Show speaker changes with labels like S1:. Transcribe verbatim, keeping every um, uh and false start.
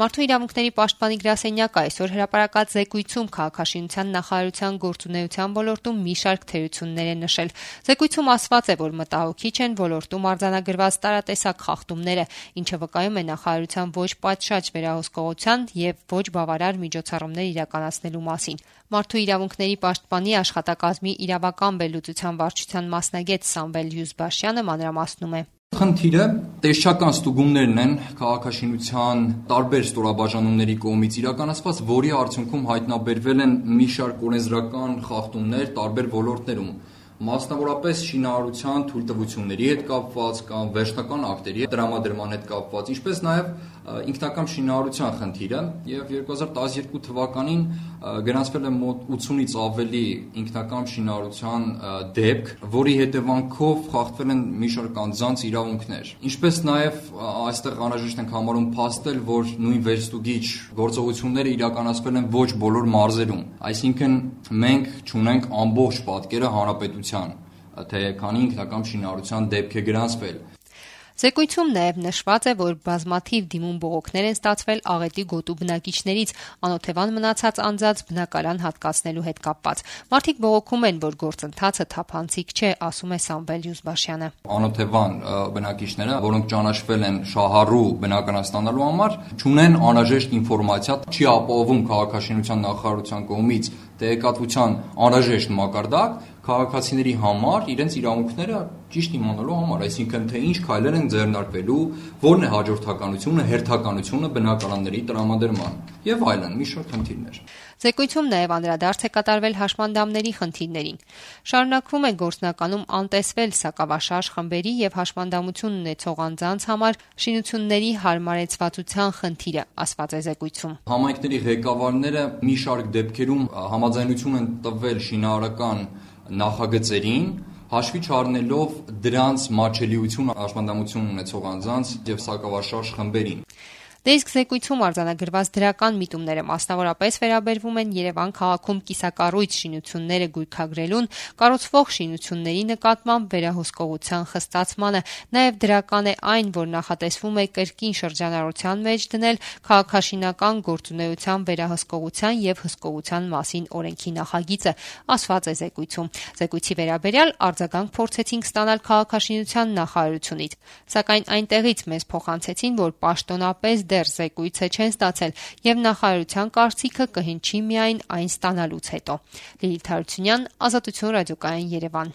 S1: Մարդու իրավունքների պաշտպանի գրասենյակը այսօր հրապարակած զեկույցում քաղաքաշինության նախարարության գործունեության ոլորտում մի շարք թերություններ է նշել։ Զեկույցում ասված է, որ մտահոգիչ են ոլորտում արձանագրված տարատեսակ խախտումները, ինչը վկայում է նախարարության ոչ պատշաճ վերահսկողության եւ ոչ բավարար միջոցառումներ իրականացնելու մասին։ Մարդու իրավունքների պաշտպանի աշխատակազմի իրավական վերլուծության վարչության մասնագետ Սամվել Յուզբաշյանը մանրամասնում է.
S2: Խնդիրը տեսչական ստուգումներն են քաղաքաշինության տարբեր ստորաբաժանումների կողմից իրականացված, որի արդյունքում հայտնաբերվել են մի շարք օրենսդրական խախտումներ տարբեր ոլորտներում, մասնավորապես շինարարության թույլտվությունների հետ կապված կամ վերջնական ակտերի տրամադրման հետ կապված, ինչպես նաև ինքնակամ շինարարության խնդիրը, եւ երկու հազար տասներկու թվականին գրանցվել է մոտ ութսունից ավելի ինքնակամ շինարարության դեպք, որի հետևանքով խախտվել են մի շարք անձանց իրավունքներ։ Ինչպես նաև այստեղ անհրաժեշտ ենք համարում փաստել, որ նույն վերստուգիչ գործողությունները իրականացվել են ոչ բոլոր մարզերում, այսինքն մենք չունենք ամբողջ պատկերը հանրապետության, թե քանի ինքնակամ շինարարության դեպք է գրանցվել։
S1: Զեկույցում նաև նշված է, որ բազմաթիվ դիմում բողոքներ են ստացվել աղետի գոտու բնակիչներից անօթևան մնացած անձանց բնակարան հատկացնելու հետ կապված։ Մարդիկ բողոքում են, որ գործընթացը թափանցիկ չէ, ասում է Սամվել Յուզբաշյանը։
S2: Անօթևան բնակիչները, որոնք ճանաչվել են շահառու բնակարան ստանալու համար, չունեն անհրաժեշտ ինֆորմացիա, չի ապահովում քաղաքաշինության նախարարության կողմից տեղեկատվության անհրաժեշտ մակարդակ քաղաքացիների համար իրենց իրավունքները ճիշտ իմանալու համար, այսինքն թե ինչ քայլեր են ձեռնարկվելու, որն է հաջորդականությունը, հերթականությունը բնակարանների տրամադրման եւ այլն, մի շարք խնդիրներ։
S1: Զեկույցում նաև անդրադարձ է կատարվել հաշմանդամների խնդիրներին։ Շարունակվում է գործնականում անտեսվել սակավաշարժ խմբերի եւ հաշմանդամություն ունեցող անձանց համար շինությունների հարմարեցվածության խնդիրը, ասված է զեկույցում։
S2: Համայնքների ղեկավարները մի շարք դեպքերում համաձայնություն են տվել շինարարական նախագծերին, հաշվի չառնելով դրանց մատչելիությունը հաշմանդամություն ունեցող անձանց եւ սակավաշարժ խմբերին։
S1: Դե իսկ զեկույցում արձանագրված դրական միտումները մասնավորապես վերաբերվում են Երևան քաղաքում կիսակառույց շինությունները գույքագրելուն, կառուցվող շինությունների նկատմամբ վերահսկողության խստացմանը, նաև դրական է այն, որ նախատեսվում է կրկին շրջանառության մեջ դնել քաղաքաշինական գործունեության վերահսկողության եւ հսկողության մասին օրենքի նախագիծը, ասված է զեկույցում։ Զեկույցի վերաբերյալ արձագանք փորձեցինք ստանալ քաղաքաշինության նախարարությունից, սակայն այնտեղից մեզ փոխանցեցին, որ պաշտոնապես դեռ զեկույցը չեն ստացել եւ նախարարության կարծիքը կհնչի միայն այն ստանալուց հետո։ Լիլիթ Հարությունյան, Ազատություն ռադիոկայան, Երևան։